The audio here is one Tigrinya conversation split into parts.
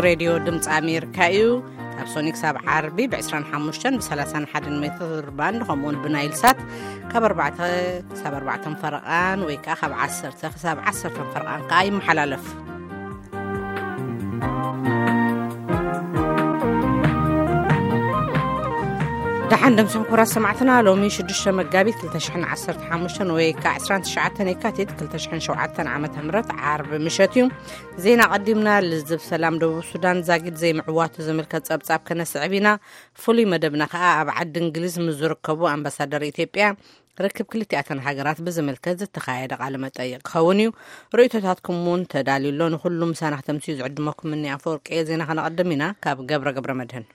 ሬድዮ ድምፂ ኣሜሪካ እዩ። ካብ ሶኒ ክሳብ ዓርቢ ብ25 ብ31 ሜትር ባንድ፣ ከምኡውን ብናይል ሳት ካብ ኣርባዕተ ክሳብ ኣርባዕተን ፈረቓን፣ ወይ ከዓ ካብ ዓሰርተ ክሳብ ዓሰርተን ፈረቓን ከዓ ይመሓላለፍ። ደሓን ደምስኩም ክቡራት ሰማዕትና፣ ሎሚ ሽዱሽተ መጋቢት ክልተ ሽሕን ዓሰርተ ሓሙሽተን ወይ ከዓ ዕስራን ትሽዓተን የካቲት ክልተ ሽሕን ሸውዓተን ዓመተ ምህረት ዓርቢ ምሸት እዩ። ዜና ቀዲምና። ልዝብ ሰላም ደቡብ ሱዳን ዛጊድ ዘይምዕዋቱ ዝምልከት ጸብጻብ ከነስዕብ ኢና። ፍሉይ መደብና ከኣ ኣብ ዓዲ እንግሊዝ ምስ ዝርከቡ ኣምባሳደር ኢትዮጵያ ርክብ ክልቲኣተን ሃገራት ብዝምልከት ዝተኻየደ ቃለ መጠይቕ ክኸውን እዩ። ርእይቶታትኩም እውን ተዳልዩ ኣሎ። ንኹሉ ምሳና ክተምስዩ ዝዕድመኩም እኒ ኣፈወርቂ እየ። ዜና ከነቐድም ኢና። ካብ ገብረ ገብረ መድህን።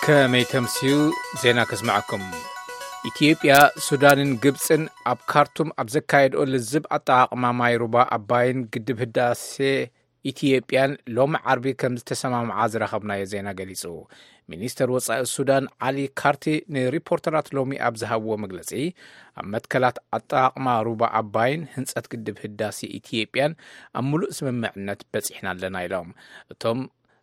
ከመይ ተምስዩ? ዜና ከስምዐኩም። ኢትዮጵያ፣ ሱዳንን ግብፅን ኣብ ካርቱም ኣብ ዘካየድኦ ልዝብ ኣጠቓቕማ ማይ ሩባ ኣባይን ግድብ ህዳሴ ኢትዮጵያን ሎሚ ዓርቢ ከም ዝተሰማምዓ ዝረኸብናዮ ዜና ገሊጹ። ሚኒስተር ወጻኢ ሱዳን ዓሊ ካርቲ ንሪፖርተራት ሎሚ ኣብ ዝሃብዎ መግለጺ፣ ኣብ መትከላት ኣጠቓቕማ ሩባ ኣባይን ህንጸት ግድብ ህዳሴ ኢትዮጵያን ኣብ ምሉእ ስምምዕነት በጺሕና ኣለና ኢሎም። እቶም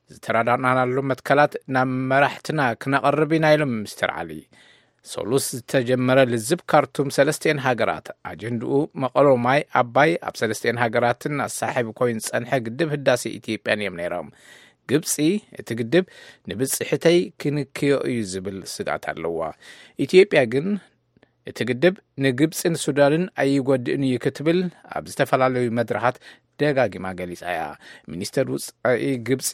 ዝተረዳእናሉ መትከላት ናብ መራሕትና ክነቐርብ ኢና ኢሎም ሚስተር ዓሊ። ሰሉስ ዝተጀመረ ልዝብ ካርቱም ሰለስቲኤን ሃገራት ኣጀንድኡ መቐሎ ማይ ኣባይ ኣብ ሰለስቲኤን ሃገራትን ኣሳሒቡ ኮይኑ ዝጸንሐ ግድብ ህዳሴ ኢትዮጵያን እዮም ነይሮም። ግብጺ እቲ ግድብ ንብጽሕተይ ክንክዮ እዩ ዝብል ስግኣት ኣለዋ። ኢትዮጵያ ግን እቲ ግድብ ንግብጽን ሱዳንን ኣይጎድእን እዩ ክትብል ኣብ ዝተፈላለዩ መድረኻት ደጋጊማ ገሊጻ እያ። ሚኒስተር ውጻኢ ግብጺ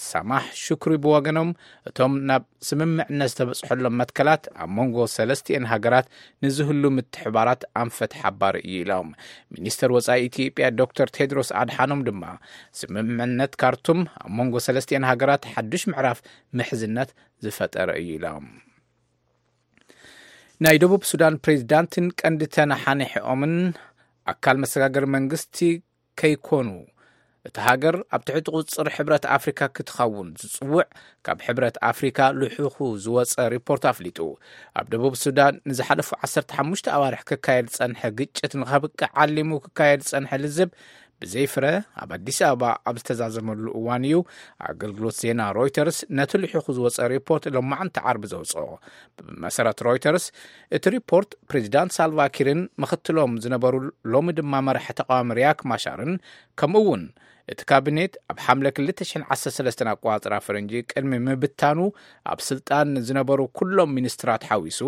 ሳማሕ ሹክሪ ብወገኖም፣ እቶም ናብ ስምምዕነት ዝተበጽሐሎም መትከላት ኣብ መንጎ ሰለስቲኤን ሃገራት ንዝህሉ ምትሕባራት ኣንፈት ሓባር እዩ ኢሎም። ሚኒስተር ወጻኢ ኢትዮጵያ ዶክተር ቴድሮስ ኣድሓኖም ድማ፣ ስምምዕነት ካርቱም ኣብ መንጎ ሰለስቲኤን ሃገራት ሓዱሽ ምዕራፍ ምሕዝነት ዝፈጠረ እዩ ኢሎም። ናይ ደቡብ ሱዳን ፕሬዚዳንትን ቀንዲ ተነሓኒሕኦምን ኣካል መሰጋገሪ መንግስቲ ከይኮኑ፣ እታ ሃገር ኣብ ትሕቲ ቁጽጽር ሕብረት ኣፍሪካ ክትኸውን ዝጽውዕ ካብ ሕብረት ኣፍሪካ ልሑኹ ዝወጸ ሪፖርት ኣፍሊጡ። ኣብ ደቡብ ሱዳን ንዝሓለፉ ዓሰርተ ሓሙሽተ ኣዋርሕ ክካየድ ዝጸንሐ ግጭት ንኸብቅዕ ዓሊሙ ክካየድ ዝጸንሐ ልዝብ ብዘይፍረ ኣብ ኣዲስ ኣበባ ኣብ ዝተዛዘመሉ እዋን እዩ ኣገልግሎት ዜና ሮይተርስ ነቲ ልሒኹ ዝወጸ ሪፖርት ሎማዕንቲ ዓርቢ ዘውጽኦ። ብመሰረት ሮይተርስ፣ እቲ ሪፖርት ፕሬዚዳንት ሳልቫኪርን ምኽትሎም ዝነበሩ ሎሚ ድማ መራሒ ተቃዋሚ ሪያክ ማሻርን፣ ከምኡ እውን እቲ ካቢኔት ኣብ ሓምለ ክልተ ሽሕን ዓሰርተ ሰለስተን ኣቆጻጽራ ፈረንጂ ቅድሚ ምብታኑ ኣብ ስልጣን ዝነበሩ ኩሎም ሚኒስትራት ሓዊሱ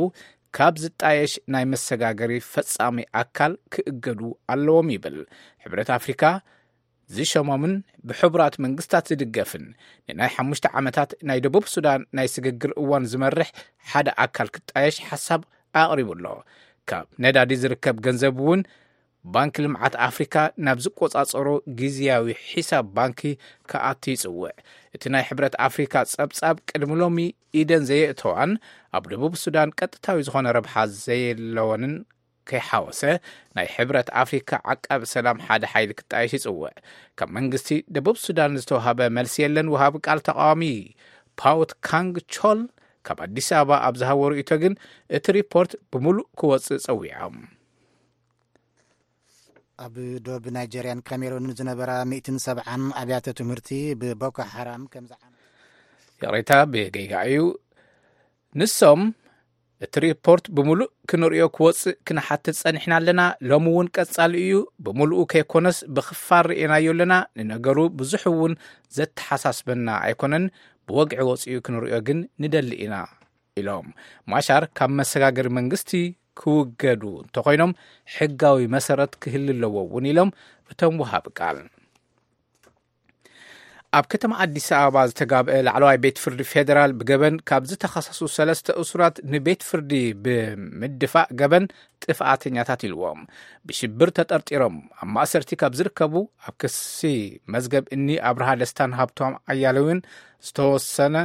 ካብ ዝጣየሽ ናይ መሰጋገሪ ፈጻሚ ኣካል ክእገዱ ኣለዎም ይብል። ሕብረት ኣፍሪካ ዝሸሞምን ብሕቡራት መንግስታት ዝድገፍን ንናይ ሓሙሽተ ዓመታት ናይ ደቡብ ሱዳን ናይ ስግግር እዋን ዝመርሕ ሓደ ኣካል ክጣየሽ ሓሳብ ኣቕሪቡ ኣሎ። ካብ ነዳዲ ዝርከብ ገንዘብ እውን ባንኪ ልምዓት ኣፍሪካ ናብ ዝቆጻጸሮ ግዝያዊ ሒሳብ ባንኪ ክኣቱ ይጽውዕ። እቲ ናይ ሕብረት ኣፍሪካ ጸብጻብ ቅድሚ ሎሚ ኢደን ዘየእተዋን ኣብ ደቡብ ሱዳን ቀጥታዊ ዝኾነ ረብሓ ዘየለወንን ከይሓወሰ፣ ናይ ሕብረት ኣፍሪካ ዓቃቢ ሰላም ሓደ ሓይሊ ክጣየሽ ይጽውዕ። ካብ መንግስቲ ደቡብ ሱዳን ዝተዋሃበ መልሲ የለን። ወሃቢ ቃል ተቃዋሚ ፓውት ካንግ ቾል ካብ ኣዲስ ኣበባ ኣብ ዝሃቦ ርእይቶ ግን፣ እቲ ሪፖርት ብምሉእ ክወጽእ ጸዊዖም። ኣብ ዶብ ናይጀርያን ካሜሩንን ዝነበራ ሚእትን ሰብዓን ኣብያተ ትምህርቲ ብቦኮ ሓራም ከም ዝዓመ ይቕሬታ፣ ብጌጋ እዩ። ንሶም፣ እቲ ሪፖርት ብምሉእ ክንርእዮ ክወጽእ ክንሓትት ጸኒሕና ኣለና። ሎሚ እውን ቀጻሊ እዩ። ብምሉኡ ከይኮነስ ብኽፋል ርእናዮ ኣለና። ንነገሩ ብዙሕ እውን ዘተሓሳስበና ኣይኮነን። ብወግዒ ወጺኡ ክንርእዮ ግን ንደሊ ኢና ኢሎም። ማሻር ካብ መሰጋገሪ መንግስቲ ክውገዱ እንተኾይኖም ሕጋዊ መሰረት ክህሉ ኣለዎ እውን ኢሎም እቶም ወሃቢ ቃል። ኣብ ከተማ ኣዲስ ኣበባ ዝተጋብአ ላዕለዋይ ቤት ፍርዲ ፌዴራል ብገበን ካብ ዝተኸሰሱ ሰለስተ እሱራት ንቤት ፍርዲ ብምድፋእ ገበን ጥፍኣተኛታት ኢልዎም። ብሽብር ተጠርጢሮም ኣብ ማእሰርቲ ካብ ዝርከቡ ኣብ ክሲ መዝገብ እኒ ኣብርሃ ደስታን ሃብቶም ኣያሌውን ዝተወሰነ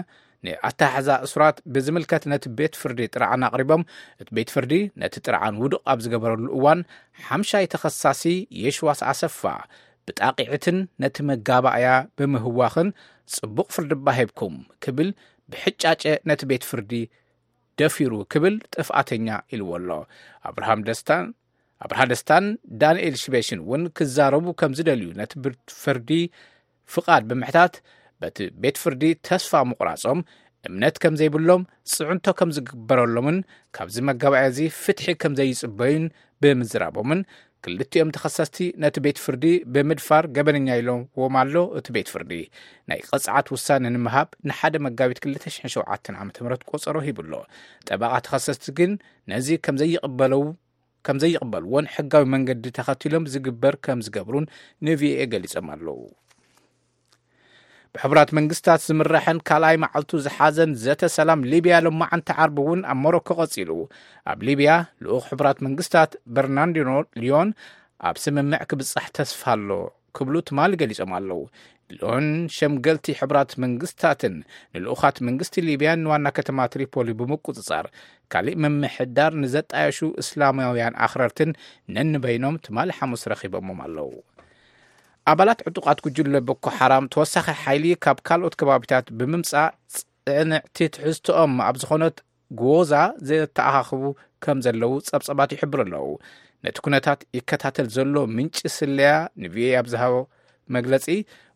ንኣተሓሕዛ እሱራት ብዝምልከት ነቲ ቤት ፍርዲ ጥርዓን ኣቕሪቦም፣ እቲ ቤት ፍርዲ ነቲ ጥርዓን ውዱቕ ኣብ ዝገበረሉ እዋን ሓምሻይ ተኸሳሲ የሽዋስ ኣሰፋ ብጣቂዕትን ነቲ መጋባእያ ብምህዋኽን ጽቡቕ ፍርዲ እባ ሂብኩም ክብል ብሕጫጨ ነቲ ቤት ፍርዲ ደፊሩ ክብል ጥፍኣተኛ ኢልዎ ኣሎ። ኣብርሃም ደስታን ኣብርሃ ደስታን ዳንኤል ሽበሽን እውን ክዛረቡ ከም ዝደልዩ ነቲ ቤት ፍርዲ ፍቓድ ብምሕታት፣ በቲ ቤት ፍርዲ ተስፋ ምቑራጾም፣ እምነት ከም ዘይብሎም፣ ጽዕንቶ ከም ዝግበረሎምን ካብዚ መጋባእያ እዚ ፍትሒ ከም ዘይጽበዩን ብምዝራቦምን፣ ክልቲኦም ተኸሰስቲ ነቲ ቤት ፍርዲ ብምድፋር ገበነኛ ኢሎዎም ኣሎ። እቲ ቤት ፍርዲ ናይ ቅጽዓት ውሳነ ንምሃብ ንሓደ መጋቢት ክልተ ሽሕን ሸውዓተን ዓመተ ምህረት ቆጸሮ ሂቡ ኣሎ። ጠበቓ ተኸሰስቲ ግን ነዚ ከም ዘይቕበለው ከም ዘይቕበልዎን ሕጋዊ መንገዲ ተኸቲሎም ዝግበር ከም ዝገብሩን ንቪኦኤ ገሊጾም ኣለዉ። ብሕቡራት መንግስታት ዝምራሕን ካልኣይ መዓልቱ ዝሓዘን ዘተ ሰላም ሊብያ ሎማዓንቲ ዓርቢ እውን ኣብ ሞሮኮ ቀጺሉ። ኣብ ሊብያ ልኡኽ ሕቡራት መንግስታት በርናርዲኖ ሊዮን ኣብ ስምምዕ ክብጻሕ ተስፋ ኣሎ ክብሉ ትማሊ ገሊጾም ኣለዉ። ሊዮን ሸምገልቲ ሕቡራት መንግስታትን ንልኡኻት መንግስቲ ሊብያን ንዋና ከተማ ትሪፖሊ ብምቁጽጻር፣ ካሊእ ምምሕዳር ንዘጣየሹ እስላማውያን ኣኽረርትን ነንበይኖም ትማሊ ሓሙስ ረኺቦሞም ኣለዉ። ኣባላት ዕጡቓት ጉጅለ ቦኮ ሓራም ተወሳኺ ሓይሊ ካብ ካልኦት ከባቢታት ብምምጻእ፣ ጽዕንዕቲ ትሕዝቶኦም ኣብ ዝኾነት ጎዛ ዘተኣኻኽቡ ከም ዘለዉ ጸብጸባት ይሕብሩ ኣለዉ። ነቲ ኩነታት ይከታተል ዘሎ ምንጪ ስለያ ንቪኦኤ ኣብ ዝሃቦ መግለጺ፣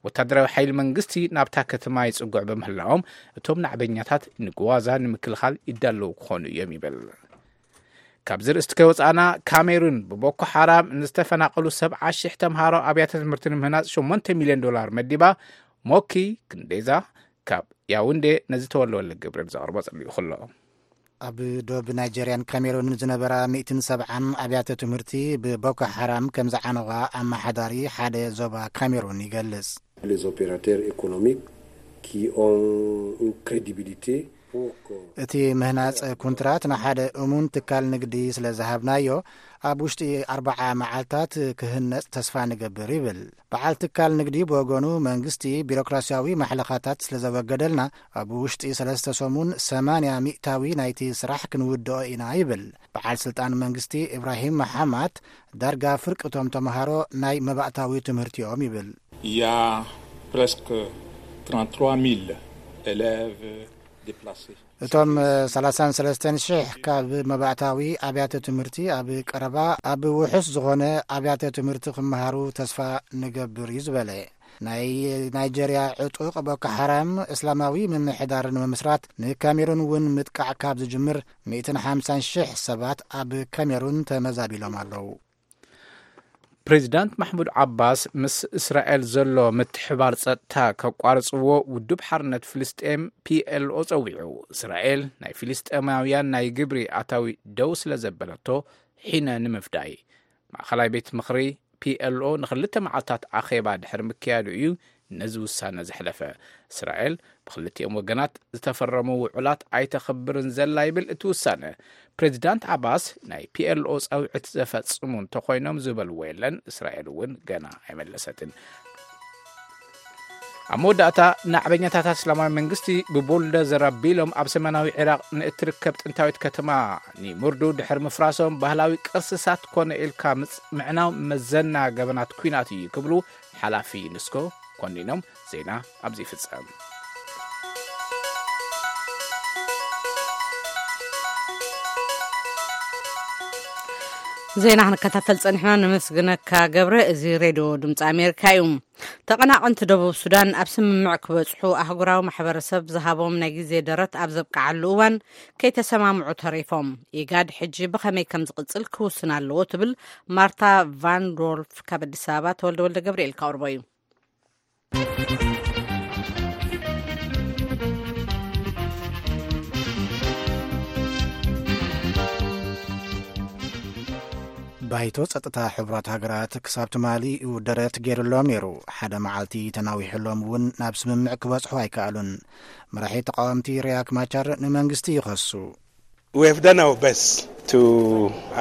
ወታደራዊ ሓይሊ መንግስቲ ናብታ ከተማ ይጽጉዕ ብምህላዎም፣ እቶም ናዕበኛታት ንግዋዛ ንምክልኻል ይዳለዉ ክኾኑ እዮም ይብል። ካብዚ ርእስቲ ከይወጻእና፣ ካሜሩን ብቦኮ ሓራም ንዝተፈናቐሉ ሰብዓ ሽሕ ተምሃሮ ኣብያተ ትምህርቲ ንምህናጽ ሸሞንተ ሚልዮን ዶላር መዲባ። ሞኪ ክንዴዛ ካብ ያውንዴ ነዚ ተወልወለ ግብርን ዘቕርቦ ጸሊኡ ከሎ። ኣብ ዶብ ናይጀርያን ካሜሩንን ዝነበራ ሚእትን ሰብዓን ኣብያተ ትምህርቲ ብቦኮ ሓራም ከም ዝዓነዋ ኣመሓዳሪ ሓደ ዞባ ካሜሩን ይገልጽ። Les opérateurs économiques qui ont une crédibilité pour que እቲ ምህናጽ ኩንትራት ንሓደ እሙን ትካል ንግዲ ስለ ዝሃብናዮ፣ ኣብ ውሽጢ ኣርብዓ መዓልታት ክህነጽ ተስፋ ንገብር ይብል። በዓል ትካል ንግዲ ብወገኑ፣ መንግስቲ ቢሮክራሲያዊ ማሕለኻታት ስለ ዘወገደልና፣ ኣብ ውሽጢ ሰለስተ ሰሙን ሰማንያ ሚእታዊ ናይቲ ስራሕ ክንውድኦ ኢና ይብል። በዓል ስልጣን መንግስቲ ኢብራሂም መሓማት፣ ዳርጋ ፍርቂ እቶም ተምሃሮ ናይ መባእታዊ ትምህርቲኦም ይብል። Il y a presque trente-trois mille élèves déplacés. እቶም ሰላሳን ሰለስተን ሽሕ ካብ መባእታዊ ኣብያተ ትምህርቲ ኣብ ቀረባ ኣብ ውሑስ ዝኾነ ኣብያተ ትምህርቲ ክመሃሩ ተስፋ ንገብር እዩ ዝበለ። ናይ ናይጀርያ ዕጡቕ ቦኮ ሓራም እስላማዊ ምምሕዳር ንምምስራት ንካሜሩን እውን ምጥቃዕ ካብ ዝጅምር ሚእትን ሓምሳን ሽሕ ሰባት ኣብ ካሜሩን ተመዛቢሎም ኣለዉ። ፕሬዚዳንት ማሕሙድ ዓባስ ምስ እስራኤል ዘሎ ምትሕባር ጸጥታ ከቋርጽዎ ውድብ ሓርነት ፍልስጤም ፒኤልኦ ጸዊዑ። እስራኤል ናይ ፍልስጤማውያን ናይ ግብሪ ኣታዊ ደው ስለ ዘበለቶ ሒነ ንምፍዳይ ማእኸላይ ቤት ምኽሪ ፒኤልኦ ንኽልተ መዓልታት ኣኼባ ድሕሪ ምክያዱ እዩ ነዚ ውሳነ ዘሕለፈ። እስራኤል ብክልቲኦም ወገናት ዝተፈረሙ ውዑላት ኣይተኽብርን ዘላ ይብል እቲ ውሳነ። ፕሬዚዳንት ዓባስ ናይ ፒኤልኦ ጻውዒት ዘፈጽሙ እንተኾይኖም ዝበልዎ የለን። እስራኤል እውን ገና ኣይመለሰትን። ኣብ መወዳእታ፣ ናዕበኛታት እስላማዊ መንግስቲ ብቡልደዘር ኣቢሎም ኣብ ሰሜናዊ ዒራቕ ንእትርከብ ጥንታዊት ከተማ ኒሙርዱ ድሕሪ ምፍራሶም፣ ባህላዊ ቅርስታት ኮነ ኢልካ ምጽ-፣ ምዕናው መዘና ገበናት ኲናት እዩ ክብሉ ሓላፊ ዩኔስኮ ኮኒኖም። ዜና ኣብዚ ይፍጸም። ዜና ክንከታተል ጸኒሕና፣ ነመስግነካ ገብረ። እዚ ሬድዮ ድምፂ ኣሜሪካ እዩ። ተቐናቐንቲ ደቡብ ሱዳን ኣብ ስምምዕ ክበጽሑ ኣህጉራዊ ማሕበረሰብ ዝሃቦም ናይ ግዜ ደረት ኣብ ዘብቅዓሉ እዋን ከይተሰማምዑ ተሪፎም። ኢጋድ ሕጂ ብኸመይ ከም ዝቕጽል ክውስን ኣለዎ ትብል ማርታ ቫን ዶልፍ። ካብ ኣዲስ ኣበባ ተወልደ ወልደ ገብርኤል ከቕርቦ እዩ። ባይቶ ጸጥታ ሕቡራት ሃገራት ክሳብ ትማሊ እዩ ደረት ገይሩሎም ነይሩ። ሓደ መዓልቲ ተናዊሑሎም እውን ናብ ስምምዕ ክበጽሑ ኣይከኣሉን። መራሒ ተቃወምቲ ሪያክ ማቻር ንመንግስቲ ይኸሱ። We have done our best to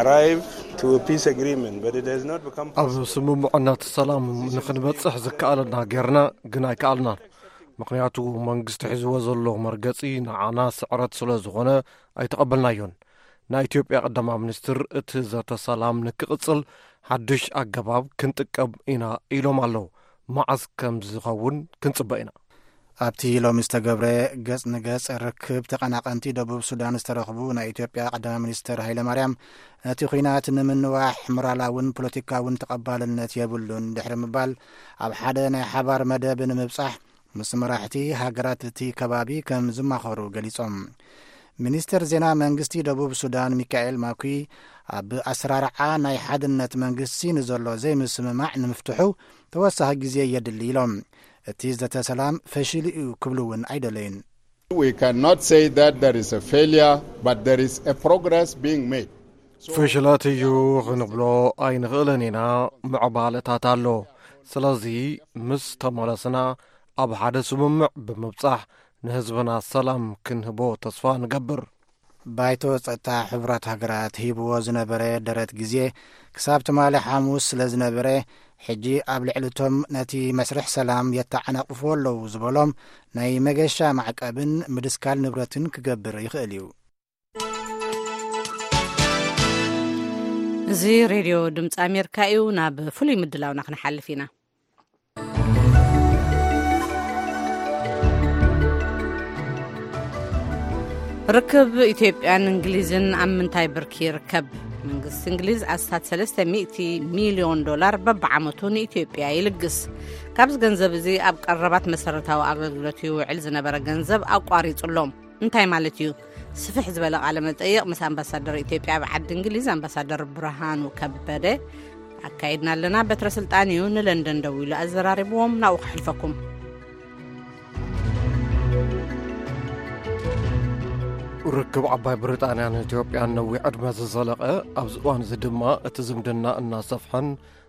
arrive to a peace agreement, but it has not become ኣብ possible. ስምምዕነት ሰላም ንኽንበጽሕ ዝከኣለና ጌርና፣ ግን ኣይከኣልናን። ምኽንያቱ መንግስቲ ሒዝዎ ዘሎ መርገጺ ንዓና ስዕረት ስለ ዝኾነ ኣይተቐበልናዮን። ናይ ኢትዮጵያ ቀዳማይ ሚኒስትር እቲ ዘተ ሰላም ንክቕጽል ሓድሽ ኣገባብ ክንጥቀም ኢና ኢሎም ኣለዉ። መዓስ ከም ዝኸውን ክንጽበ ኢና። ኣብቲ ሎሚ ዝተገብረ ገጽ ንገጽ ርክብ ተቐናቐንቲ ደቡብ ሱዳን ዝተረኽቡ ናይ ኢትዮጵያ ቀዳማይ ሚኒስትር ሃይለማርያም፣ ነቲ ኲናት ንምንዋሕ ሞራላውን ፖለቲካውን ተቐባልነት የብሉን ድሕሪ ምባል፣ ኣብ ሓደ ናይ ሓባር መደብ ንምብጻሕ ምስ መራሕቲ ሃገራት እቲ ከባቢ ከም ዝማኸሩ ገሊጾም። ሚኒስትር ዜና መንግስቲ ደቡብ ሱዳን ሚካኤል ማኩይ፣ ኣብ ኣሰራርዓ ናይ ሓድነት መንግስቲ ንዘሎ ዘይምስምማዕ ንምፍትሑ ተወሳኺ ግዜ የድሊ ኢሎም። እቲ ዘተ ሰላም ፈሺሉ እዩ ክብሉ እውን ኣይደለዩን። We cannot say that there is a failure, but there is a progress being made. So ፈሽለት እዩ ክንብሎ ኣይንኽእልን ኢና። ምዕባለታት ኣሎ። ስለዚ ምስ ተመለስና ኣብ ሓደ ስምምዕ ብምብጻሕ ንህዝብና ሰላም ክንህቦ ተስፋ ንገብር። ባይቶ ጸጥታ ሕቡራት ሃገራት ሂብዎ ዝነበረ ደረት ግዜ ክሳብ ትማሊ ሓሙስ ስለ ዝነበረ፣ ሕጂ ኣብ ልዕሊ እቶም ነቲ መስርሕ ሰላም የተዓናቕፍዎ ኣለዉ ዝበሎም ናይ መገሻ ማዕቀብን ምድስካል ንብረትን ክገብር ይኽእል እዩ። እዚ ሬድዮ ድምፂ ኣሜሪካ እዩ። ናብ ፍሉይ ምድላውና ክንሓልፍ ኢና። ርክብ ኢትዮጵያን እንግሊዝን ኣብ ምንታይ ብርኪ ይርከብ? መንግስቲ እንግሊዝ ኣስታት ሰለስተ ሚእቲ ሚልዮን ዶላር በብዓመቱ ንኢትዮጵያ ይልግስ። ካብዚ ገንዘብ እዚ ኣብ ቀረባት መሰረታዊ ኣገልግሎት ይውዕል ዝነበረ ገንዘብ ኣቋሪጹ ኣሎ። እንታይ ማለት እዩ? ስፍሕ ዝበለ ቃለ መጠይቕ ምስ ኣምባሳደር ኢትዮጵያ ኣብ ዓዲ እንግሊዝ ኣምባሳደር ብርሃኑ ከበደ ኣካይድና ኣለና። በትረ ስልጣን እዩ ንለንደን ደዊሉ ኣዘራሪብዎም። ናብኡ ከሕልፈኩም። ርክብ ዓባይ ብሪጣንያን ኢትዮጵያን ነዊሕ ዕድመ ዝዘለቐ፣ ኣብዚ እዋን እዚ ድማ እቲ ዝምድና እናሰፍሐን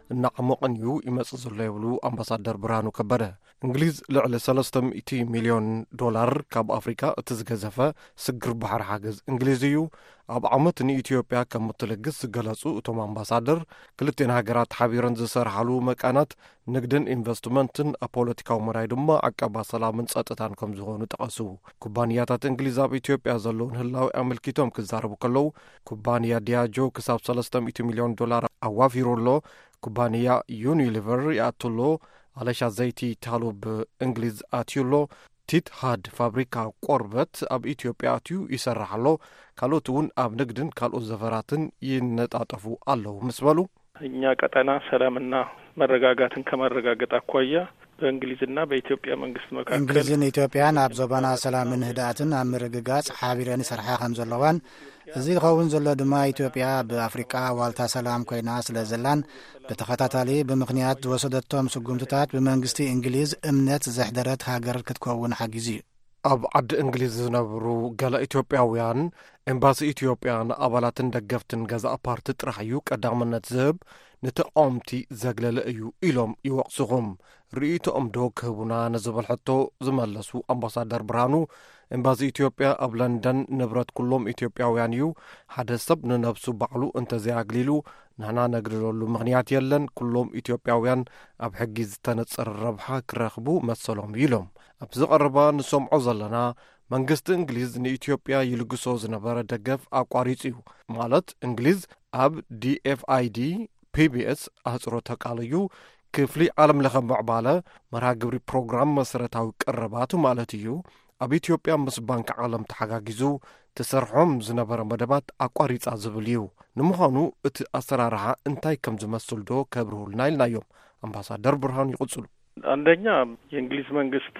እናዓሞቕን እዩ ይመጽእ ዘሎ ይብሉ ኣምባሳደር ብርሃኑ ከበደ። እንግሊዝ ልዕሊ ሰለስተ ሚእቲ ሚልዮን ዶላር ካብ ኣፍሪካ እቲ ዝገዘፈ ስግር ባሕሪ ሓገዝ እንግሊዝ እዩ ኣብ ዓመት ንኢትዮጵያ ከም እትልግስ ዝገለጹ እቶም ኣምባሳደር፣ ክልቴን ሃገራት ሓቢረን ዝሰርሓሉ መቃናት ንግድን ኢንቨስትመንትን፣ ኣብ ፖለቲካዊ መዳይ ድማ ዕቀባ ሰላምን ጸጥታን ከም ዝኾኑ ጠቐሱ። ኩባንያታት እንግሊዝ ኣብ ኢትዮጵያ ዘለውን ህላዌ ኣመልኪቶም ክዛረቡ ከለዉ፣ ኩባንያ ዲያጆ ክሳብ ሰለስተ ሚእቲ ሚልዮን ዶላር ኣዋፊሩ ኣሎ። ኩባንያ ዩኒሊቨር ይኣቱ ኣሎ። ኣለሻ ዘይቲ ታሉብ እንግሊዝ ኣትዩ ኣሎ። ቲት ሃድ ፋብሪካ ቆርበት ኣብ ኢትዮጵያ ኣትዩ ይሰርሕ ኣሎ። ካልኦት እውን ኣብ ንግድን ካልኦት ዘፈራትን ይነጣጠፉ ኣለዉ ምስ በሉ፣ እኛ ቀጠና ሰላምና መረጋጋትን ከማረጋገጥ ኣኳያ በእንግሊዝና በኢትዮጵያ መንግስት መካከል እንግሊዝን ኢትዮጵያን ኣብ ዞባና ሰላምን ህድኣትን ኣብ ምርግጋጽ ሓቢረን ይሰርሓ ከም ዘለዋን፣ እዚ ክኸውን ዘሎ ድማ ኢትዮጵያ ብኣፍሪቃ ዋልታ ሰላም ኮይና ስለ ዘላን፣ ብተኸታታሊ ብምኽንያት ዝወሰደቶም ስጉምትታት ብመንግስቲ እንግሊዝ እምነት ዘሕደረት ሃገር ክትከውን ሓጊዙ እዩ። ኣብ ዓዲ እንግሊዝ ዝነብሩ ገለ ኢትዮጵያውያን፣ ኤምባሲ ኢትዮጵያ ንኣባላትን ደገፍትን ገዛእ ፓርቲ ጥራሕ እዩ ቀዳምነት ዝህብ፣ ንተቃወምቲ ዘግለለ እዩ ኢሎም ይወቕስኹም። ርእይቶኦም ዶ ክህቡና ንዝብል ሕቶ ዝመለሱ ኣምባሳደር ብርሃኑ፣ ኤምባሲ ኢትዮጵያ ኣብ ለንደን ንብረት ኩሎም ኢትዮጵያውያን እዩ። ሓደ ሰብ ንነብሱ ባዕሉ እንተዘይኣግሊሉ ንሕና ነግልለሉ ምኽንያት የለን። ኩሎም ኢትዮጵያውያን ኣብ ሕጊ ዝተነጸረ ረብሓ ክረኽቡ መሰሎም እዩ ኢሎም። ኣብዚ ቀረባ ንሰምዖ ዘለና፣ መንግስቲ እንግሊዝ ንኢትዮጵያ ይልግሶ ዝነበረ ደገፍ ኣቋሪጹ እዩ። ማለት እንግሊዝ ኣብ ዲ ኤፍ ኣይ ዲ፣ ፒ ቢ ኤስ ኣህጽሮተ ቃል እዩ፣ ክፍሊ ዓለም ለኸ ምዕባለ መርሃ ግብሪ ፕሮግራም መሰረታዊ ቀረባት ማለት እዩ፣ ኣብ ኢትዮጵያ ምስ ባንክ ዓለም ተሓጋጊዙ ትሰርሖም ዝነበረ መደባት ኣቋሪጻ ዝብል እዩ። ንምዃኑ እቲ ኣሰራርሓ እንታይ ከም ዝመስል ዶ ከብርሁልና ኢልናዮም። ኣምባሳደር ብርሃኑ ይቕጽሉ። አንደኛ የእንግሊዝ መንግስት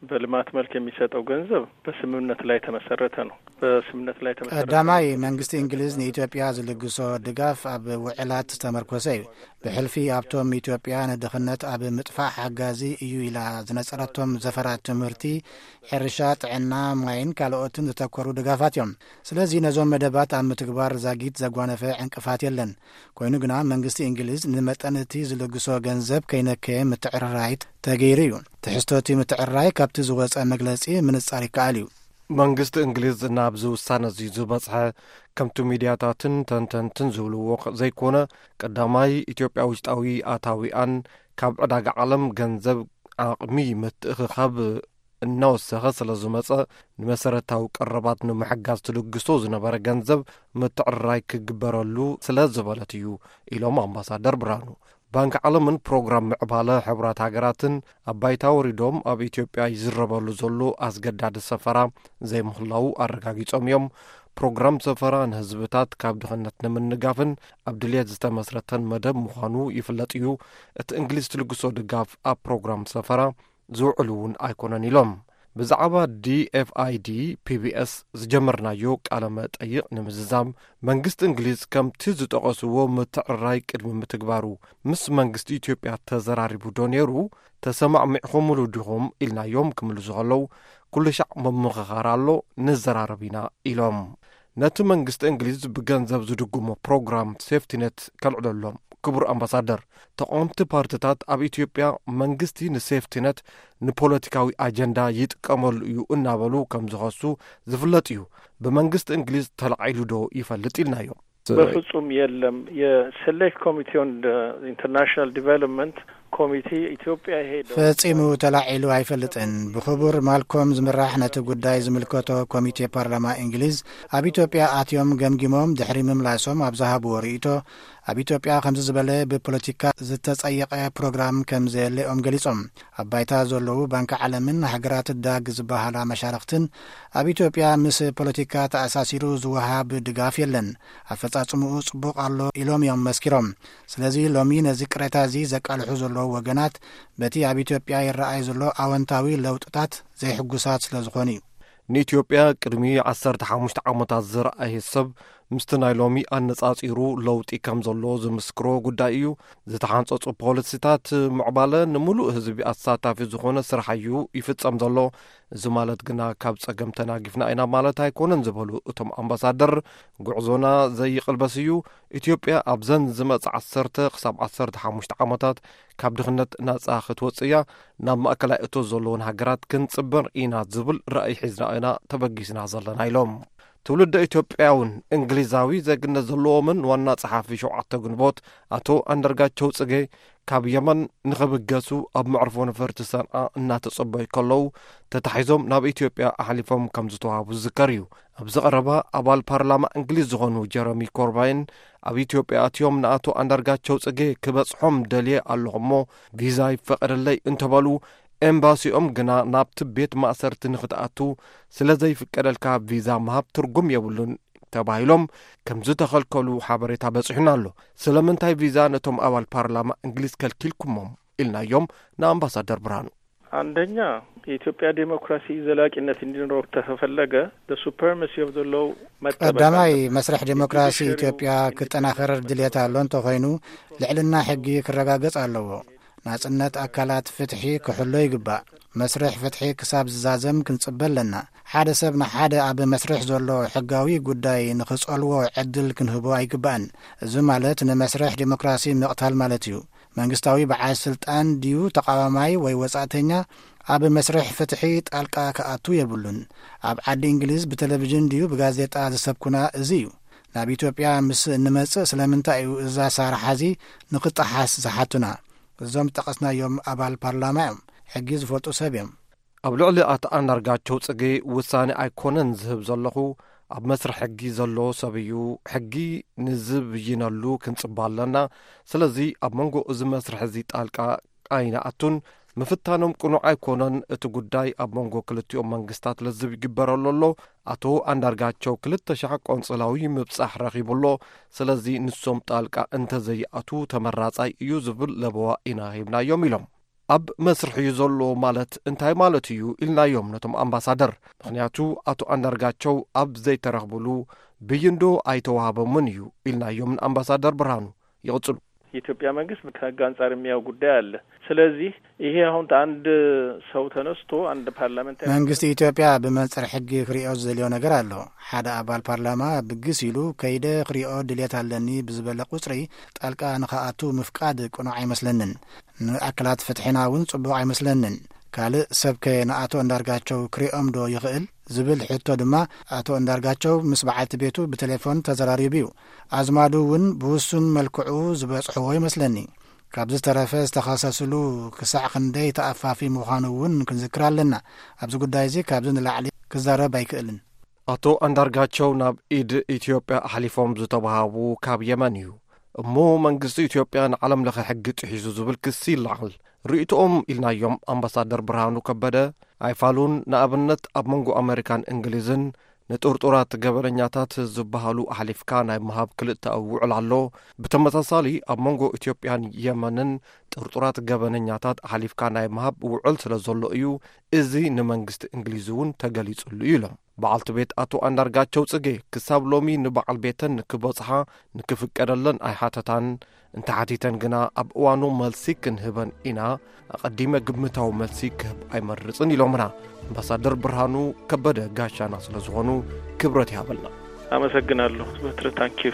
በልማት መልክ የሚሰጠው ገንዘብ በስምምነት ላይ የተመሰረተ ነው። በስምምነት ላይ የተመሰረተ ቀዳማይ፣ መንግስቲ እንግሊዝ ንኢትዮጵያ ዝልግሶ ድጋፍ ኣብ ውዕላት ዝተመርኮሰ እዩ። ብሕልፊ ኣብቶም ኢትዮጵያ ንድኽነት ኣብ ምጥፋእ ሓጋዚ እዩ ኢላ ዝነጸረቶም ዘፈራት ትምህርቲ፣ ሕርሻ፣ ጥዕና፣ ማይን ካልኦትን ዝተኮሩ ድጋፋት እዮም። ስለዚ ነዞም መደባት ኣብ ምትግባር ዛጊት ዘጓነፈ ዕንቅፋት የለን። ኮይኑ ግና መንግስቲ እንግሊዝ ንመጠን እቲ ዝልግሶ ገንዘብ ከይነከየ ምትዕርራይ ተገይሩ እዩ። ትሕዝቶ እቲ ምትዕርራይ ካብቲ ዝወጸ መግለጺ ምንጻር ይከኣል እዩ። መንግስቲ እንግሊዝ ናብዚ ውሳነ እዚ ዝበጽሐ፣ ከምቲ ሚድያታትን ተንተንትን ዝብልዎ ዘይኮነ፣ ቀዳማይ ኢትዮጵያ ውሽጣዊ ኣታዊኣን ካብ ዕዳጋ ዓለም ገንዘብ ዓቕሚ ምትእኽኻብ እናወሰኸ ስለ ዝመጸ፣ ንመሰረታዊ ቀረባት ንምሕጋዝ ትልግሶ ዝነበረ ገንዘብ ምትዕርራይ ክግበረሉ ስለ ዝበለት እዩ ኢሎም ኣምባሳደር ብርሃኑ። ባንኪ ዓለምን ፕሮግራም ምዕባለ ሕቡራት ሃገራትን ኣብ ባይታ ወሪዶም ኣብ ኢትዮጵያ ይዝረበሉ ዘሎ ኣስገዳዲ ሰፈራ ዘይምህላዉ ኣረጋጊጾም እዮም። ፕሮግራም ሰፈራ ንህዝብታት ካብ ድኽነት ንምንጋፍን ኣብ ድልየት ዝተመስረተን መደብ ምዃኑ ይፍለጥ እዩ። እቲ እንግሊዝ ትልግሶ ድጋፍ ኣብ ፕሮግራም ሰፈራ ዝውዕል እውን ኣይኮነን ኢሎም። ብዛዕባ ዲ ኤፍ ኣይ ዲ ፒ ቢ ኤስ ዝጀመርናዮ ቃለ መጠይቕ ንምዝዛም፣ መንግስቲ እንግሊዝ ከምቲ ዝጠቐስዎ ምትዕርራይ ቅድሚ ምትግባሩ፣ ምስ መንግስቲ ኢትዮጵያ ተዘራሪቡ ዶ ነይሩ? ተሰማዕሚዕኹምሉ ዲኹም? ኢልናዮም ክምልሱ ከለዉ፣ ኩሉ ሻዕ ምምኽኻር ኣሎ፣ ንዘራረብ ኢና ኢሎም። ነቲ መንግስቲ እንግሊዝ ብገንዘብ ዝድግሞ ፕሮግራም ሴፍቲነት ከልዕለሎም። ክቡር ኣምባሳደር፣ ተቓወምቲ ፓርትታት ኣብ ኢትዮጵያ መንግስቲ ንሴፍቲነት ንፖለቲካዊ ኣጀንዳ ይጥቀመሉ እዩ እናበሉ ከም ዝኸሱ ዝፍለጥ እዩ። ብመንግስቲ እንግሊዝ ተላዒሉ ዶ ይፈልጥ ኢልናዮም። በፍጹም የለም። የሴሌክት ኮሚቴ ኦን ኢንተርናሽናል ዲቨሎፕመንት ኮሚቴ ኢትዮጵያ ሄደው ፈጺሙ ተላዒሉ ኣይፈልጥን። ብክቡር ማልኮም ዝምራሕ ነቲ ጉዳይ ዝምልከቶ ኮሚቴ ፓርላማ እንግሊዝ ኣብ ኢትዮጵያ ኣትዮም ገምጊሞም ድሕሪ ምምላሶም ኣብ ዝሃብዎ ርእይቶ፣ ኣብ ኢትዮጵያ ከምዚ ዝበለ ብፖለቲካ ዝተጸየቐ ፕሮግራም ከም ዘየለኦም ገሊጾም። ኣብ ባይታ ዘለዉ ባንኪ ዓለምን ሃገራት ዳግ ዝበሃላ መሻርኽትን ኣብ ኢትዮጵያ ምስ ፖለቲካ ተኣሳሲሩ ዝወሃብ ድጋፍ የለን፣ ኣፈጻጽምኡ ጽቡቕ ኣሎ ኢሎም እዮም መስኪሮም። ስለዚ ሎሚ ነዚ ቅሬታ እዚ ዘቃልሑ ዘለዉ ወገናት በቲ ኣብ ኢትዮጵያ ይረኣይ ዘሎ ኣወንታዊ ለውጥታት ዘይሕጉሳት ስለ ዝኾኑ እዩ። ንኢትዮጵያ ቅድሚ ዓሰርተ ሓሙሽተ ዓመታት ዝረኣየ ሰብ ምስቲ ናይ ሎሚ ኣነጻጺሩ ለውጢ ከም ዘሎ ዝምስክሮ ጉዳይ እዩ። ዝተሓንጸጹ ፖሊሲታት ምዕባለ ንምሉእ ህዝቢ ኣሳታፊ ዝኾነ ስራሕ እዩ ይፍጸም ዘሎ። እዚ ማለት ግና ካብ ጸገም ተናጊፍና ኢና ማለት ኣይኮነን ዝበሉ እቶም ኣምባሳደር፣ ጉዕዞና ዘይቕልበስ እዩ። ኢትዮጵያ ኣብዘን ዝመጽእ ዓሰርተ ክሳብ ዓሰርተ ሓሙሽተ ዓመታት ካብ ድኽነት ናጻ ክትወጽእ እያ። ናብ ማእከላይ እቶት ዘለወን ሃገራት ክንጽበር ኢና ዝብል ራእይ ሒዝና ኢና ተበጊስና ዘለና ኢሎም። ትውልደ ኢትዮጵያውን እንግሊዛዊ ዜግነት ዘለዎምን ዋና ጸሓፊ ሸውዓተ ግንቦት ኣቶ ኣንደርጋቸው ጽጌ ካብ የመን ንኽብገሱ ኣብ መዕርፎ ነፈርቲ ሰንዓ እናተጸበዩ ከለዉ ተታሒዞም ናብ ኢትዮጵያ ኣሕሊፎም ከም ዝተዋህቡ ዝዝከር እዩ። ኣብዚ ቀረባ ኣባል ፓርላማ እንግሊዝ ዝኾኑ ጀረሚ ኮርባይን ኣብ ኢትዮጵያ ኣትዮም ንኣቶ ኣንዳርጋቸው ጽጌ ክበጽሖም ደልየ ኣለኹ እሞ ቪዛ ይፈቐደለይ እንተበሉ፣ ኤምባሲኦም ግና ናብቲ ቤት ማእሰርቲ ንኽትኣቱ ስለ ዘይፍቀደልካ ቪዛ ምሃብ ትርጉም የብሉን ተባሂሎም ከም ዝተኸልከሉ ሓበሬታ በጺሑና ኣሎ። ስለምንታይ ቪዛ ነቶም ኣባል ፓርላማ እንግሊዝ ከልኪልኩሞም? ኢልናዮም ንኣምባሳደር ብርሃኑ። አንደኛ፣ የኢትዮጵያ ዴሞክራሲ ዘላቂነት እንዲኖረው ከተፈለገ፣ the supremacy of the law መጠበቅ ቀዳማይ፣ አለበት። መስርሕ ዴሞክራሲ ኢትዮጵያ ክጠናኸር ድልየት ኣሎ እንተኾይኑ፣ ልዕልና ሕጊ ክረጋገጽ ኣለዎ። ናጽነት ኣካላት ፍትሒ ክሕሎ ይግባእ። መስርሕ ፍትሒ ክሳብ ዝዛዘም ክንጽበ ኣለና። ሓደ ሰብ ንሓደ ኣብ መስርሕ ዘሎ ሕጋዊ ጉዳይ ንኽጸልዎ ዕድል ክንህቦ ኣይግባእን። እዚ ማለት ንመስርሕ ዴሞክራሲ ምቕታል ማለት እዩ። መንግስታዊ በዓል ስልጣን ድዩ ተቓዋማይ ወይ ወጻእተኛ ኣብ መስርሕ ፍትሒ ጣልቃ ክኣቱ የብሉን። ኣብ ዓዲ እንግሊዝ ብቴሌቪዥን ድዩ ብጋዜጣ ዝሰብኩና እዚ እዩ። ናብ ኢትዮጵያ ምስ እንመጽእ ስለምንታይ እዩ እዚ ኣሰራርሓ እዚ ንኽጠሓስ ዝሓቱና? እዞም ዝጠቐስናዮም ኣባል ፓርላማ እዮም። ሕጊ ዝፈልጡ ሰብ እዮም። ኣብ ልዕሊ ኣቶ ኣንዳርጋቸው ጽጌ ውሳኔ ኣይኮነን ዝህብ ዘለኹ፣ ኣብ መስርሕ ሕጊ ዘሎ ሰብ እዩ። ሕጊ ንዝብይነሉ ክንጽበ ኣለና። ስለዚ ኣብ መንጎ እዚ መስርሕ እዚ ጣልቃ ኣይንኣቱን። ምፍታኖም ቅኑዕ ኣይኮነን። እቲ ጉዳይ ኣብ መንጎ ክልቲኦም መንግስታት ለዝብ ይግበረሉ ኣሎ። ኣቶ ኣንዳርጋቸው ክልተ ሻዕ ቆንጽላዊ ምብጻሕ ረኺቡ ኣሎ። ስለዚ ንሶም ጣልቃ እንተዘይኣቱ ተመራጻይ እዩ ዝብል ለበዋ ኢና ሂብናዮም ኢሎም። ኣብ መስርሕ እዩ ዘሎ ማለት እንታይ ማለት እዩ ኢልናዮም ነቶም ኣምባሳደር። ምኽንያቱ ኣቶ ኣንዳርጋቸው ኣብ ዘይተረኽብሉ ብይንዶ ኣይተዋህበምን እዩ ኢልናዮም ንኣምባሳደር ብርሃኑ። ይቕጽሉ። የኢትዮጵያ መንግስት ከህግ አንጻር የሚያው ጉዳይ አለ። ስለዚህ ይሄ አሁን አንድ ሰው ተነስቶ አንድ ፓርላመንታሪ መንግስቲ ኢትዮጵያ ብመንጽር ሕጊ ክሪኦ ዝደልዮ ነገር ኣሎ። ሓደ ኣባል ፓርላማ ብግስ ኢሉ ከይደ ክሪኦ ድልየት ኣለኒ ብዝበለ ቁጽሪ ጣልቃ ንኸኣቱ ምፍቃድ ቅኑዕ ኣይመስለንን። ንኣካላት ፍትሒና እውን ጽቡቕ ኣይመስለንን። ካልእ ሰብከ ንኣቶ እንዳርጋቸው ክሪኦም ዶ ይኽእል ዝብል ሕቶ ድማ ኣቶ እንዳርጋቸው ምስ በዓልቲ ቤቱ ብቴሌፎን ተዘራሪቡ እዩ። ኣዝማዱ እውን ብውሱን መልክዑ ዝበጽሕዎ ይመስለኒ። ካብ ዝተረፈ ዝተኸሰስሉ ክሳዕ ክንደይ ተኣፋፊ ምዃኑ እውን ክንዝክር ኣለና። ኣብዚ ጉዳይ እዚ ካብዚ ንላዕሊ ክዛረብ ኣይክእልን። ኣቶ ኣንዳርጋቸው ናብ ኢድ ኢትዮጵያ ኣሕሊፎም ዝተዋሃቡ ካብ የመን እዩ። እሞ መንግስቲ ኢትዮጵያ ንዓለም ለኸ ሕጊ ጥሒሱ ዝብል ክሲ ይለዓል። ርእይቶኦም ኢልናዮም ኣምባሳደር ብርሃኑ ከበደ ኣይፋሉን። ንኣብነት ኣብ መንጎ ኣመሪካን እንግሊዝን ንጥርጡራት ገበነኛታት ዝበሃሉ ኣሕሊፍካ ናይ ምሃብ ክልተኣዊ ውዕል ኣሎ። ብተመሳሳሊ ኣብ መንጎ ኢትዮጵያን የመንን ጥርጡራት ገበነኛታት ኣሕሊፍካ ናይ ምሃብ ውዕል ስለ ዘሎ እዩ እዚ ንመንግስቲ እንግሊዝ እውን ተገሊጹሉ እዩ ኢሎም። በዓልቲ ቤት ኣቶ ኣንዳርጋቸው ጽጌ ክሳብ ሎሚ ንበዓል ቤተን ንክበጽሓ ንክፍቀደለን ኣይሓተታን። እንተሓቲተን ግና ኣብ እዋኑ መልሲ ክንህበን ኢና። ኣቐዲመ ግምታዊ መልሲ ክህብ ኣይመርጽን ኢሎምና። ኣምባሳደር ብርሃኑ ከበደ ጋሻና ስለ ዝኾኑ ክብረት ይሃበልና። ኣመሰግናለሁ። በትረ ታንኪዩ።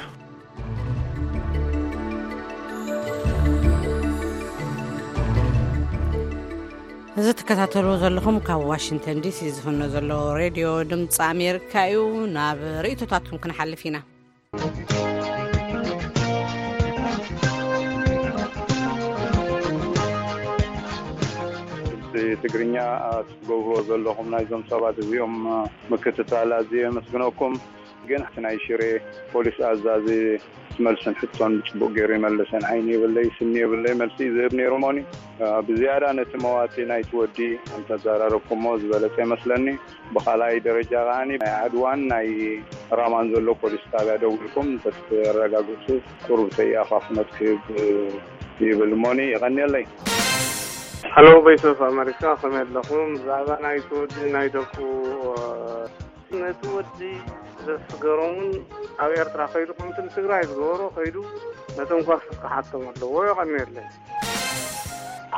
እዚ ትከታተልዎ ዘለኹም ካብ ዋሽንግተን ዲሲ ዝፍኖ ዘሎ ሬድዮ ድምፂ ኣሜሪካ እዩ። ናብ ርእይቶታትኩም ክንሓልፍ ኢና። ትግርኛ ትገብርዎ ዘለኹም ናይዞም ሰባት እዚኦም ምክትታል ኣዝየ የመስግነኩም። ግን እቲ ናይ ሽሬ ፖሊስ ኣዛዚ መልስን ሕቶን ብፅቡቅ ገይሩ ይመልሰን። ዓይኒ የብለይ ስኒ የብለይ መልሲ እዩ ዝህብ ነይሩ። ሞኒ ብዝያዳ ነቲ መዋቲ ናይቲ ወዲ እንተዘራረብኩሞ ዝበለፀ ይመስለኒ። ብኻልኣይ ደረጃ ከዓኒ ናይ ዓድዋን ናይ ራማን ዘሎ ፖሊስ ጣብያ ደዊልኩም እንተትረጋግፁ ቁሩብ ተይኣኻፍኖት ክህብ ይብል። ሞኒ ይቐንየለይ። Hello Voice of America፣ ከመይ ኣለኹም? ብዛዕባ ናይ ትወዲ ናይ ደቁ ነቲ ወዲ ዘስገሮምን ኣብ ኤርትራ ከይዱ ከምቲ ንትግራይ ዝገበሮ ከይዱ ነቶም ኳሶት ክሓቶም ኣለዎ። የቐንየለይ።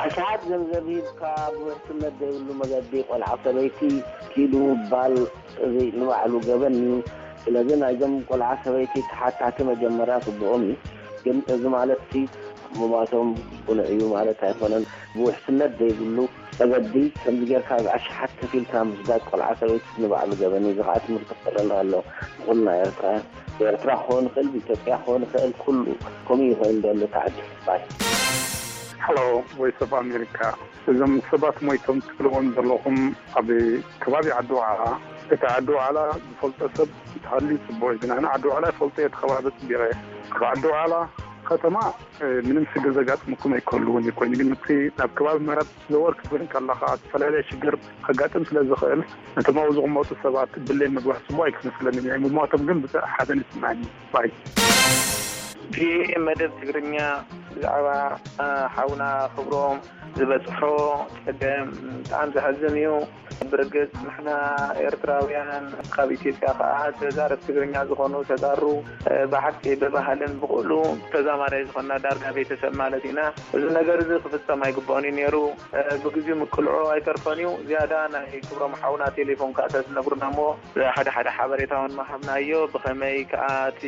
ኣሽሓት ገንዘብ ሂብካ ብውሕስነት ዘይብሉ መገዲ ቆልዓ ሰበይቲ ኪዱ ምባል እዚ ንባዕሉ ገበን እዩ። ስለዚ ናይዞም ቆልዓ ሰበይቲ ተሓታቲ መጀመርያ ጽቡቕም እዩ፣ ግን እዚ ማለት ሲ ምማቶም ቅኑዕ እዩ ማለት ኣይኮነን። ብውሕስነት ዘይብሉ መገዲ ከምዚ ጌርካ ብኣሽሓት ከፊልካ ምስዳድ ቆልዓ ሰበይቲ ንባዕሉ ገበን እዩ። እዚ ከዓ ትምህርቲ ክኾነና ኣሎ ንኹልና ኤርትራውያን። ብኤርትራ ክኸውን ይኽእል፣ ብኢትዮጵያ ክኸውን ይኽእል፣ ኩሉ ከምኡ እዩ ኮይኑ ዘሎ ተዓዲ ባይ። Hello Voice of America። እዞም ሰባት ሞይቶም ትብልዎም ዘለኹም ኣብ ከባቢ ዓዲ ዋዕላ፣ እቲ ዓዲ ዋዕላ ዝፈልጦ ሰብ እንተሃልዩ ጽቡቕ እዩ። ግን ኣነ ዓዲ ዋዕላ ይፈልጦ እየ፣ እቲ ከባቢ ጽቢቐ። ካብ ዓዲ ዋዕላ ከተማ ምንም ሽግር ዘጋጥመኩም ኣይክህልውን እዩ። ኮይኑ ግን እቲ ናብ ከባቢ ምዕራብ ክትዘወር ክትብል ከለኻ ዝተፈላለየ ሽግር ከጋጥም ስለ ዝኽእል ነቶም ኣብኡ ዝቕመጡ ሰባት ድሌት ምግባር ጽቡቕ ኣይክመስለንን እዩ። ምሟቶም ግን ብጣዕ ሓዘን ይስምዓኒ ባይ። ቪኦኤ መደብ ትግርኛ ብዛዕባ ሓውና ክብሮም ዝበፅሖ ፀገም ብጣዕሚ ዘሕዝን እዩ። ብርግፅ ንሕና ኤርትራውያን ካብ ኢትዮጵያ ከዓ ተዛረብ ትግርኛ ዝኾኑ ተጋሩ ብሓቂ ብባህልን ብኩሉ ተዛማዳይ ዝኾንና ዳርጋ ቤተሰብ ማለት ኢና። እዚ ነገር እዚ ክፍፀም ኣይግባኦን እዩ ነይሩ። ብግዚኡ ምቅልዑ ኣይተርፎን እዩ። ዝያዳ ናይ ክብሮም ሓውና ቴሌፎን ከዓ ተዝነግሩና እሞ ሓደ ሓደ ሓበሬታ እውን ምሃብናዮ። ብኸመይ ከዓ እቲ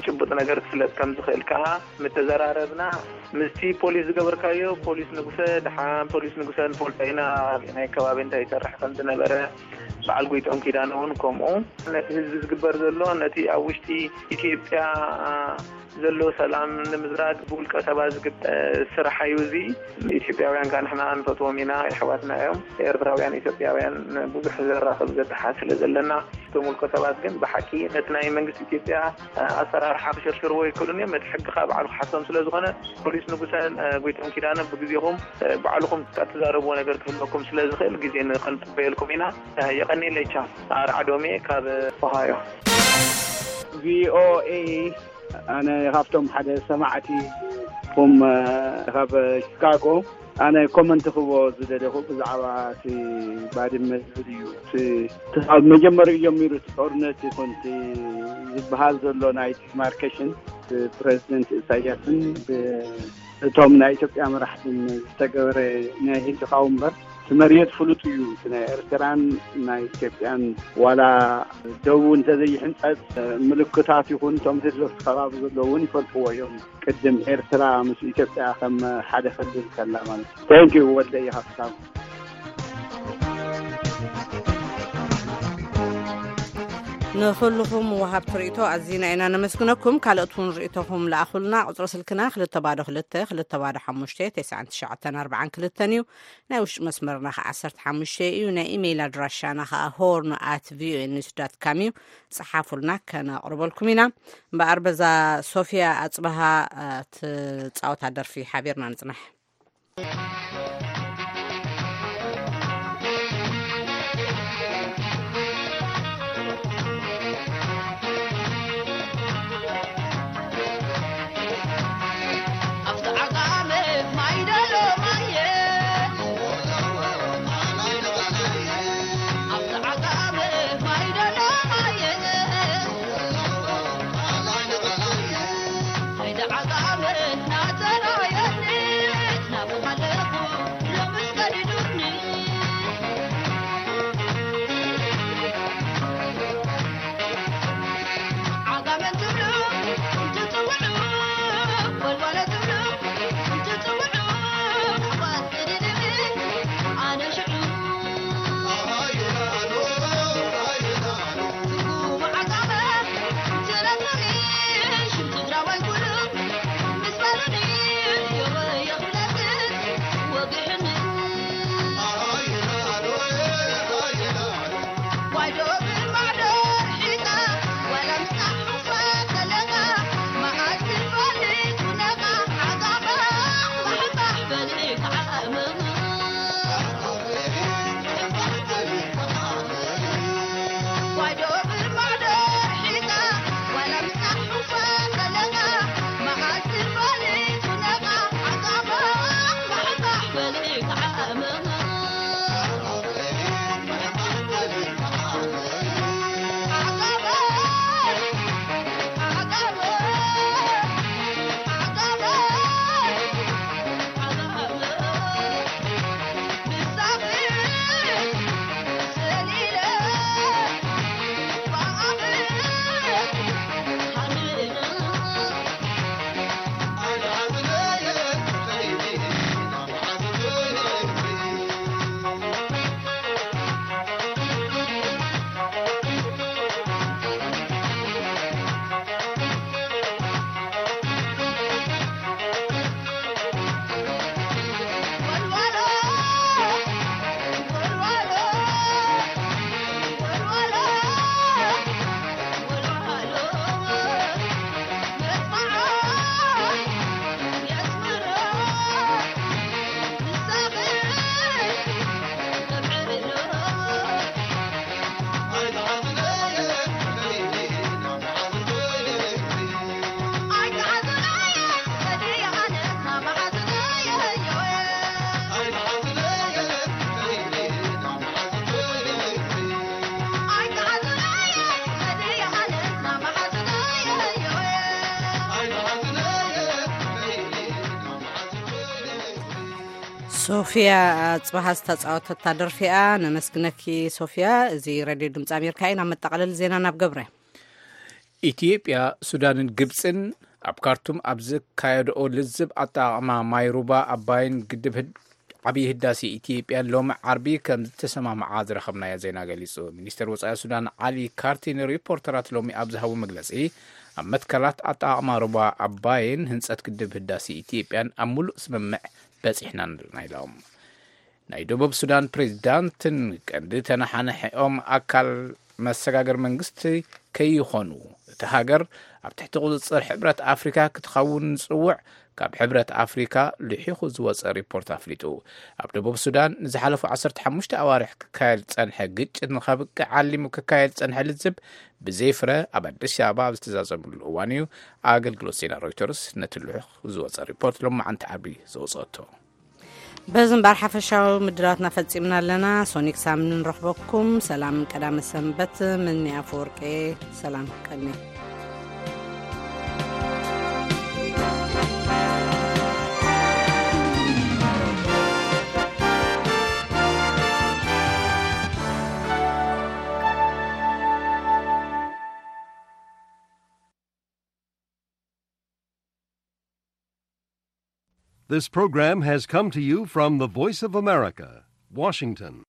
ጭቡጥ ነገር ክፍለጥ ከም ዝኽእል ከዓ ምተዘራረብና። ምስቲ ፖሊስ ዝገበርካዮ ፖሊስ ንጉሰ፣ ደሓን ፖሊስ ንጉሰ ንፈልጦ ኢና፣ ናይ ከባቢ እንታይ ይሰርሕ ከም ዝነበረ፣ በዓል ጎይቶም ኪዳነ እውን ከምኡ። ነቲ ህዝቢ ዝግበር ዘሎ፣ ነቲ ኣብ ውሽጢ ኢትዮጵያ ዘሎ ሰላም ንምዝራግ ብውልቀ ሰባት ዝግበር ስራሕ እዩ። እዚ ኢትዮጵያውያን ከዓ ንሕና ንፈትዎም ኢና፣ የሕዋትና እዮም። ኤርትራውያን ኢትዮጵያውያን ብዙሕ ዘራኽብ ዘተሓዝ ስለ ዘለና፣ እቶም ውልቀ ሰባት ግን ብሓቂ ነቲ ናይ መንግስቲ ኢትዮጵያ ኣሰራርሓ ክሽርሽርዎ ይክእሉን እዮም። ነቲ ሕጊ ከዓ ባዕሉ ክሓቶም ስለ ዝኾነ፣ ፖሊስ ንጉሰን ጎይቶም ኪዳነ ብግዜኹም ባዕልኹም እትዛረብዎ ነገር ክህልወኩም ስለ ዝኽእል ግዜ ንኽንጽበየልኩም ኢና። የቐንየለይ። ቻው። ኣርዓዶም እየ ካብ ኦሃዮ። ቪኦኤ ኣነ ካብቶም ሓደ ሰማዕቲ ኩም ካብ ቺካጎ ኣነ ኮመንት ክቦ ዝደለኹ ብዛዕባ እቲ ባድመ ዝብል እዩ። እቲ ካብ መጀመሪኡ ጀሚሩ እቲ ጦርነት ይኹን እቲ ዝበሃል ዘሎ ናይ ዲማርኬሽን ብፕሬዚደንት ኢሳያስን እቶም ናይ ኢትዮጵያ መራሕትን ዝተገበረ ናይ ህልኻዊ እምበር እቲ መሬት ፍሉጥ እዩ። እቲ ናይ ኤርትራን ናይ ኢትዮጵያን ዋላ ደቡ እንተዘይሕንጸጽ ምልክታት ይኹን እቶም ህዝቢ ኣብቲ ከባቢ ዘለዉ እውን ይፈልጥዎ እዮም። ቅድም ኤርትራ ምስ ኢትዮጵያ ከም ሓደ ክልል ከላ ማለት እዩ። Thank you ወልደ እየ ካብታ ንኹልኹም ወሃብቲ ርእይቶ ኣዚና ኢና ነመስግነኩም። ካልኦት እውን ርእይቶኹም ለኣኹልና። ቁጽሪ ስልክና ክልተ ባዶ ክልተ፣ ክልተ ባዶ ሓሙሽተ፣ ተስዓን ትሽዓተን ኣርባዓን ክልተን እዩ። ናይ ውሽጢ መስመርና ኸዓ ዓሰርተ ሓሙሽተ እዩ። ናይ ኢሜይል ኣድራሻና ኸዓ ሆርን ኣት ቪኦኤ ኒውስ ዳት ካም እዩ። ጸሓፉልና፣ ከነቕርበልኩም ኢና። እምበኣር በዛ ሶፊያ ኣጽበሃ፣ እ፣ ትጻወታ ደርፊ ሓቢርና ንጽናሕ። ሶፊያ ኣጽባሃ ዝተጻወተታ ደርፊኣ ነመስግነኪ። ሶፊያ፣ እዚ ሬድዮ ድምፂ ኣሜሪካ እዩ። ናብ መጠቓለሊ ዜና ናብ ገብረ። ኢትዮጵያ፣ ሱዳንን ግብፅን ኣብ ካርቱም ኣብ ዘካየድኦ ልዝብ ኣጠቓቕማ ማይ ሩባ ኣባይን ግድብ ህድ-፣ ዓብዪ ህዳሴ ኢትዮጵያን ሎሚ ዓርቢ ከም ዝተሰማምዓ ዝረኸብናዮ ዜና ገሊጹ። ሚኒስተር ወጻኢ ሱዳን ዓሊ ካርቲ ንሪፖርተራት ሎሚ ኣብ ዝሃቦ መግለጺ፣ ኣብ መትከላት ኣጠቓቕማ ሩባ ኣባይን ህንጸት ግድብ ህዳሴ ኢትዮጵያን ኣብ ሙሉእ ስምምዕ በጺሕና ኣለና ኢሎም። ናይ ደቡብ ሱዳን ፕሬዚዳንትን ቀንዲ ተነሓናሒኦም ኣካል መሰጋገር መንግስቲ ከይኾኑ፣ እቲ ሃገር ኣብ ትሕቲ ቁጽጽር ሕብረት ኣፍሪካ ክትኸውን ዝጽውዕ ካብ ሕብረት ኣፍሪካ ልሒኹ ዝወጸ ሪፖርት ኣፍሊጡ። ኣብ ደቡብ ሱዳን ንዝሓለፉ ዓሰርተ ሓሙሽተ ኣዋርሕ ክካየድ ዝጸንሐ ግጭት ንኸብቅዕ ዓሊሙ ክካየድ ዝጸንሐ ልዝብ ብዘይፍረ ኣብ ኣዲስ ኣበባ ኣብ ዝተዛዘምሉ እዋን እዩ ኣገልግሎት ዜና ሮይተርስ ነቲ ልሑኽ ዝወጸ ሪፖርት ሎማዓንቲ ዓርቢ ዘውጸቶ። በዚ እምበኣር ሓፈሻዊ ምድላዋትና ፈጺምና ኣለና። ሶኒክ ሳምኒ ንረኽበኩም። ሰላም ቀዳመ ሰንበት። ምኒ ኣፈወርቄ። ሰላም ቀኒ። This program has come to you from the Voice of America, Washington.